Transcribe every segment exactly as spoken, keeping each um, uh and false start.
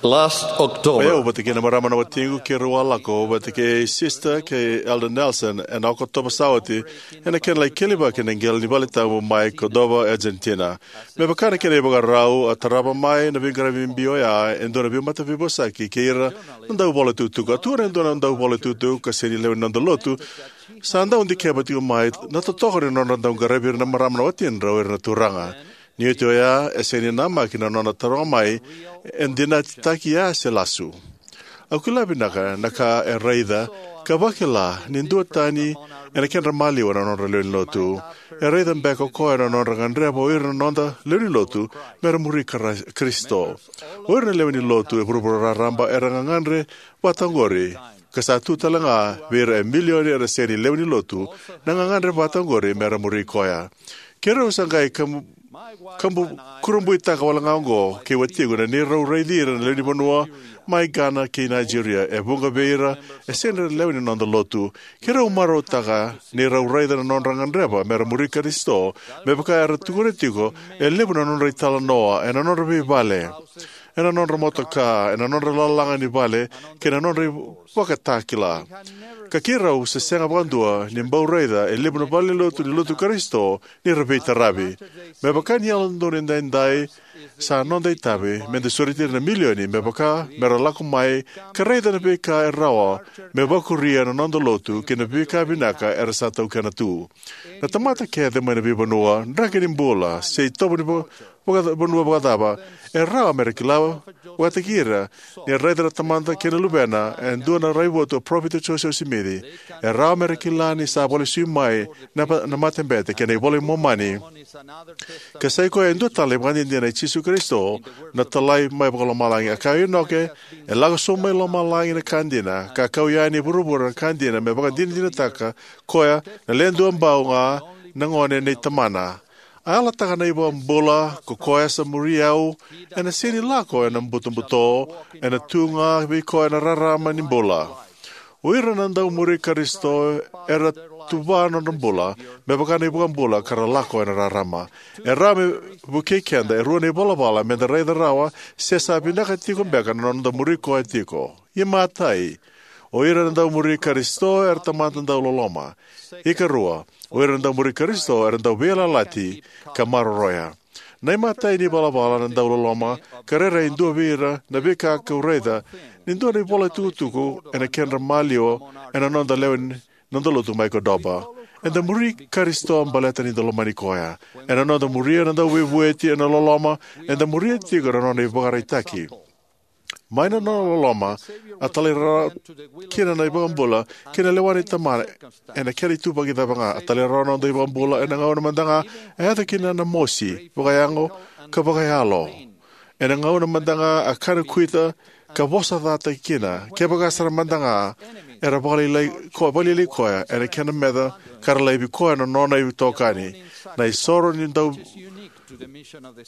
Last October, vata kei na marama na watiqu keirau a lako vata kei Sister kei Elder Nelson ena Okotova sa oti, ena kena lai kelivaki na qele ni valetabu mai Cordova, Argentina. Me vaka na kena ivakarau, a tarava mai na veiqaravi bibi oya e dua na veimataveivosaki kei ira na dauvola tukutuku. A tukuna e dua na dauvola tukutuku ka sega ni lewe ni noda lotu, sa dau dikeva tiko mai na totoka ni nodra dau qaravi ira na marama na watidra o ira na turaga. Ni oti oya, e sega ni namaki na nona taroga mai e dinatitaki ya se lasu. Au kila vinaka na ka e raica ka vakila ni duatani ena kedra maliwa na nodra lewe ni lotu. E raica beka o koya na nodra gadreva o ira na noda lewe ni lotu mera muri Kara-, Karisito. O ira na lewe ni lotu e vuravura raraba era gagadre vata oqori, ka sa tu tale ga vei ira e milioni era sega ni lewe ni lotu na gagadre vata oqori mera muri koya. Keirau sa qai kabu, kabu kurabuitaka wale ga oqo kei watiqu na neirau raici ira na lewe ni vanua mai Ghana kei Nigeria, e vuqa vei ira e sega ni lewe ni noda lotu. Keirau marautaka neirau raica na nodra gadreva mera muri Karisito, me vaka era tukuna tiko e levu na nodra italanoa ena nodra veivale, ena nodra motoka, ena nodra lalaga ni vale, kei na nodra ivakatakila. Ka keirau se sega vakadua ni bau raica e levu na valenilotu ni lotu Karisito ni ra veitaravi. Me vaka ni Yalododonu Edaidai, sa noda itavi meda sureti ira na milioni me vaka mera lako mai ka raica na veika e rawa me vakuria na noda lotu kei na veika vinaka era sa taukena tu. Na tamata kece mai na veivanua, draki ni bula, se itovo ni va-, vaka-, vanua vakacava, e rawa mera kila vakataki ira ni raica na Tamada kei na Luvena e dua na raivotu o Parofita Josefa Simici. E rawa mera kila ni sa vakalesui mai na, na matabete kei na iVola i Momani. Ka sa i koya e dua tale na ivakadinadina i Jisu Karisito na talai mai vakalomalagi. A kaya o Inoke, e lako sobu mai lomalagi na ka dina, ka kau yani e vuravura na ka dina, me vakadinadinataka koya na Le Duabau ga na gone nei Tamana. A yalataka na iVakabula, ko koya sa muri au, ena sega ni lako ena butobuto, ena tu ga vei koya na rarama ni bula. O ira na dau muri Karisito era tuva na nodra bula me vaka na iVakabula ka ra lako ena rarama. E rawa me vukei keda e rua na ivalavala meda raica rawa se sa vinaka tiko beka na noda muri koya tiko. Imatai, o ira na dau muri Karisito era tamata dau loloma. Ikarua, o ira na dau muri Karisito era dau veiyalayalati ka maroroya. Na imatai ni valavala na dau loloma ka rairai e dua vei ira na veika kau raica ni dua na ivola tukutuku ena kedra maliwa ena noda lewe ni noda lotu mai Cordova. Eda muri Karisito baleta ni da lomani koya. Ena noda muria na dau veivueti ena loloma, eda muria tiko na nona ivakaraitaki. Mai na nona loloma, a talairawarawa kina na iVakabula kei na lewa ni Tamana ena kena ituvaki cava ga. A talairawarawa na noda iVakabula ena gauna mada ga e yaco kina na mosi vakayago ka vakayalo. Ena gauna mada ga a kana kuita ka vosa cataki kina, kevaka sara mada ga era vakalailai ko-, vakalailai koya ena kena meca ka ra laivi koya na nona itokani. Na isoro ni dau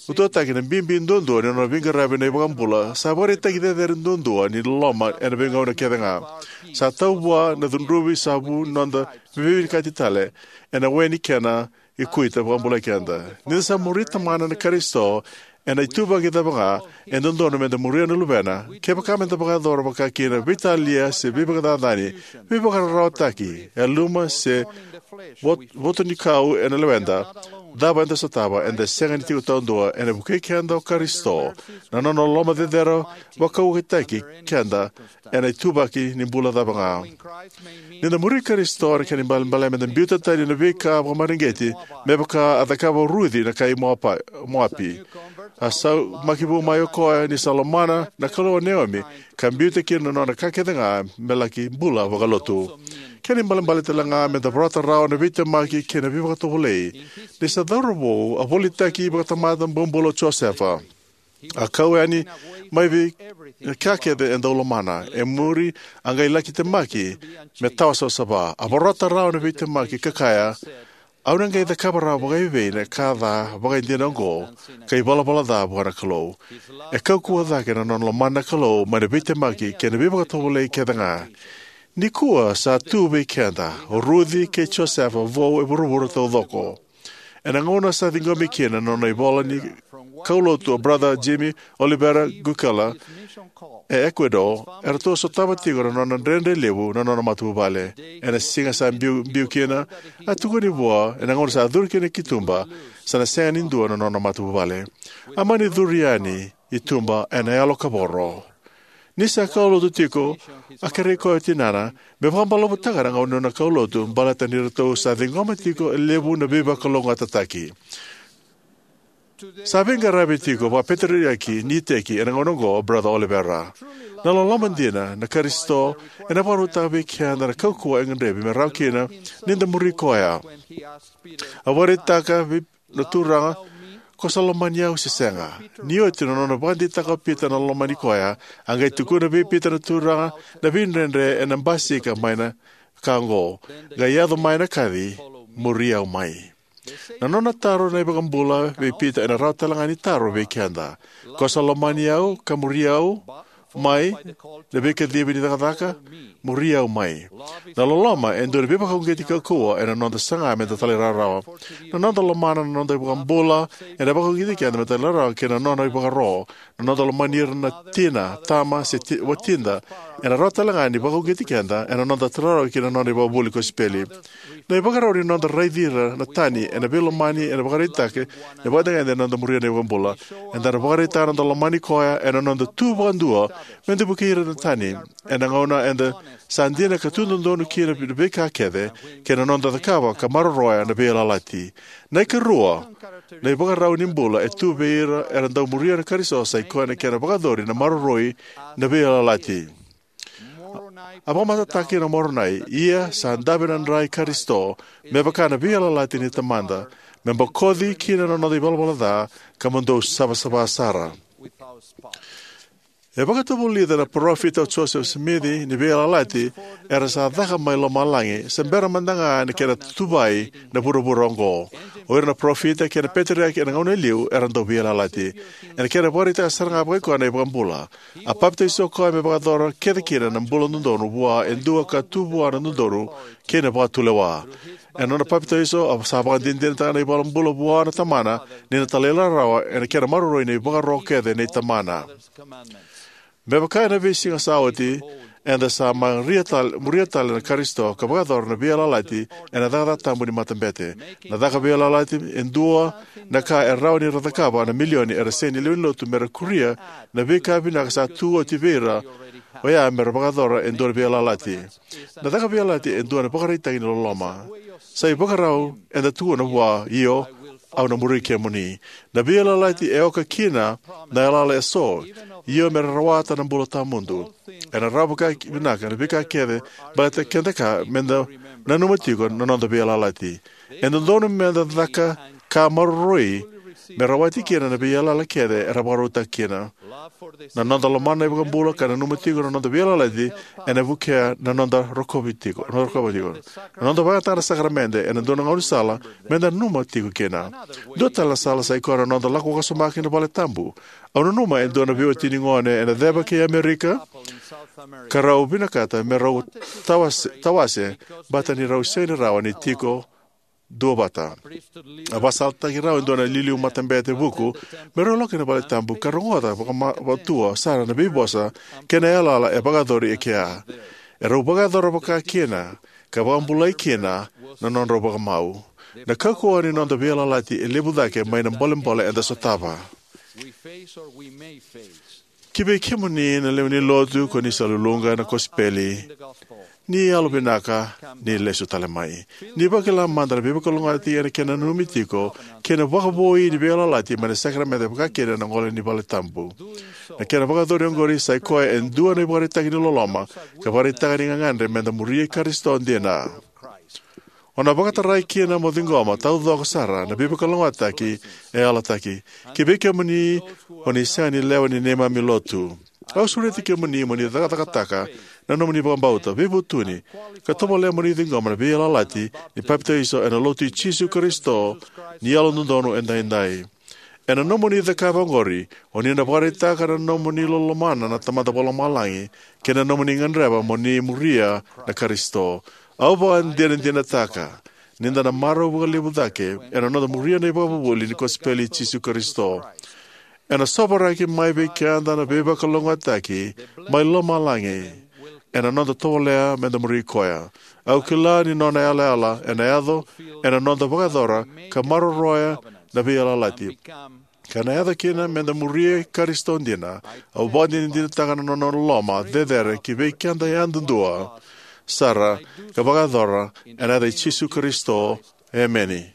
utuataki na bibi duadua ni nona veiqaravi na iVakabula sa vakaraitaki cecere duadua ni loloma ena veigauna kece ga. Sa tau vua na cudruvi sa vu noda veivinakati tale ena we ni kena ikuita vakabulai keda. Ni da sa muri Tamana na Karisito ena ituvaki cava ga, e dodonu meda muria na Luvena. Kevaka meda vakayacora vaka kina veitalia se veivakacacani, veivakararawataki, yaluma se vot-, voto ni kau ena leweda, cava eda sotava, eda sega ni tiko taudua. Ena vukei keda o Karisito, na nona loloma cecere vakauwakitaki keda ena ituvaki ni bula cava ga. Ni da muri Karisito, na kena ibalebale meda biuta tani na veika vakamareqeti me vaka a cakava o Ruci na kai Moapa-, Moapi. A saumaki vou mai o koya ni sa lomana na Kalou o Neomi, ka biuta kina na nona ka kece ga me laki bula vakalotu. Kena ibalebale tale ga meda vorata rawa na veitemaki kei na veivakatovolei. Ni sa cauravou, a volitaki vakatamata bobula o Josefa. A kau yani mai vei ka kece e dau lomana. E muri a qai laki temaki me tawa savasava. A vorata rawa na veitemaki ka kaya, "Au na qai cakava rawa vakaivei na ka ca vakaidina oqo ka ivalavala ca vua na Kalou?" E kaukauwa cake na nona lomana na Kalou mai na veitemaki kei na veivakatovolei kece ga. Nikua sa tu vei keda o Ruci kei Josefa vou e vuravura taucoko. Ena gauna sa ciqomi kina na nona ivola ni kaulotu o Brother Jimmy Olivera Gucala e Ecuador, eratou sotava tiko na nona dredre levu na nona matavuvale. Ena siga sa biu, biu kina, a tukuni vua ena gauna sa curu kina ki tuba, sa na sega ni dua na nona matavuvale. A mani curu yani i tuba ena yalo kavoro. Ni sa kaulotu tiko, a kerei koya o tinana me vakabalavutaka na gauna ni nona kaulotu, baleta ni ratou sa ciqoma tiko e levu na veivakalougatataki. Sa veiqaravi tiko vakapeteriaki ni iteki ena gauna oqo o Brother Olivera. Na loloma dina na Karisito ena vakarautaka vei keda na kaukauwa e gadrevi me rawa kina ni da muri koya. A vakaraitaka vei na Turaga, ko sa lomani au se sega? Ni oti na nona vakadeitaka o Pita na lomani koya, a qai tukuna vei Pita na Turaga na veidredre ena basika mai na ka oqo, qai yaco mai na kaci, muri au mai. Na nona taro na iVakabula vei Pita ena rawa tale ga ni taro vei keda. Ko sa lomani au ka muri au mai, na veikacivi ni cakacaka, muri au mai. Na loloma e dua na veivakauqeti kaukauwa ena noda saga me da talairawarawa. Na noda lomana na noda iVakabula ena vakauqeti keda me talairawarawa kei na nona ivakaro. Na noda lomani ira na tina, tama, se ti, watida ena rawa tale ga ni vakauqeti keda ena noda talairawarawa kei na nona ivakavuvuli kosipeli. Na ivakarau ni noda raici ira na tani ena veilomani ena vakaraitaki na vakacegede ena noda muria na iVakabula. Eda na vakaraitaka na noda lomani koya ena noda tu vakadua me da vukei ira na tani ena gauna eda sa dina ka tu dodonu kina na veika kece kei na noda cakava ka maroroya na veiyalayalati. Na ikarua, na ivakarau ni bula e tu vei ira era dau muria na Karisito sa i koya na kena vakayacori na maroroi na veiyalayalati. A vakamatatataka kina o Moronai, ia sa dave na dra i Karisito, me vaka na veiyalayalati ni Tamada, me bokoci kina na noda ivalavala ca, ka mo dou savasava sara. E vakatavulica na parofita o Joseph Smith ni veiyalayalati era sa caka mai lomalagi, se bera mada ga na kena tuvai na vuravura oqo. O ira na parofita kei na peteriaki ena gauna e liu era dau veiyalayalati. Ena kena vakaraitaka sara ga vakaikoya na iVakabula, a papitaiso koya me vakayacora kece kina na bula dodonu vua e dua ka tu vua na dodonu kei na vakatulewa. Ena nona papitaiso, a sa vakadinadinataka na iVakabula vua na Tamana ni na talairawarawa ena kena maroroi na ivakaro kece nei Tamana. Me vaka ena veisiga sa oti, eda sa muria tale, muria tale na Karisito ka vakayacora na veiyalayalati ena cakacaka tabu ni matabete. Na caka veiyalayalati e dua na ka e rawa ni ra cakava na milioni era sega ni lewe ni lotu me ra kuria na veika vinaka sa tu oti vei ira oya me ra vakayacora e dua na veiyalayalati. Na caka veiyalayalati e dua na vakaraitaki ni loloma. Sa ivakarau eda tukuna vua, io, au na muri kemuni. Na veiyalayalati e oka kina na yalayala eso, io me ra rawata na bula tawamudu. Ena rawa vakavinaka na veika kece baleta keda ka me da nanuma tiko na noda veiyalayalati. E dodonu me da caka ka maroroi me rawati kina na veiyalayala kece era vakarautaka kina. Na noda lomana na iVakabula ka nanuma tiko na noda veiyalayalati ena vukea na noda rokovi tiko, noda rokovi tiko. Na noda vakayagataka na sakaramede ena dua na gaunisala me da nanuma tiko kina. Dua tale na sala sa i koya na noda lako vakasoma ki na vale tabu. Au nanuma e dua na veiwatini gone ena ceva kei Amerika, ka rau vinakata me rau tawase, tawase, baleta ni rau sega ni rawa ni tiko duavata. A vakasalataki rau e dua na iliuliu matabete vuku me rau lako ki na vale tabu ka rogoca vakama-, vakatua sara na veivosa kei na yalayala e vakayacori e kea. E rau vakayacora vaka kina ka vakabulai kina na nodrau vakamau. Na kaukauwa ni noda veiyalayalati e levu cake mai na bolebole eda sotava. Ki vei kemuni na lewe ni lotu ko ni sa luluqa na kosipeli, ni yalovinaka ni lesu tale mai. Ni vakila mada na veivakalougatataki ena kena nanumi tiko kei na vakavoui ni veiyalayalati mai na sakaramede, vaka kina na gole ni vale tabu. Na kena vakayacori oqori sa i koya e dua na ivakaraitaki ni loloma ka vakaraitaka ni gagadre me da muri Karisito dina. O na vakatarai kina mo ciqoma taucoko sara na veivakalougatataki e yalataki. Ki vei kemuni o ni sega ni lewe ni neimami lotu, au sureti kemuni mo ni cakacakataka na nomuni vakabauta, veivutuni, ka tovolea mo ni ciqoma na veiyalayalati ni papitaiso ena Lotu i Jisu Karisito ni Yalododonu Edaidai. Ena nomuni cakava oqori, o ni na vakaraitaka na nomuni lomana na Tamada Vakalomalagi kei na nomuni gadreva mo ni muria na Karisito. Au vakadinadinataka ni da na marau vakalevu cake ena noda muria na ivakavuvuli ni kosipeli i Jisu Karisito. Ena sovaraki mai vei keda na veivakalougatataki mai lomalagi ena noda tovolea meda muri Koya. Au kila ni Nona yalayala ena yaco ena noda vakayacora ka maroroya na veiyalayalati, ka na yaco kina meda muri Karisito dina. Au vakadinadinataka na Nona loloma cecere kivei keda yadudua sara, ka vakayacora ena yaca i Jisu Karisito, emeni.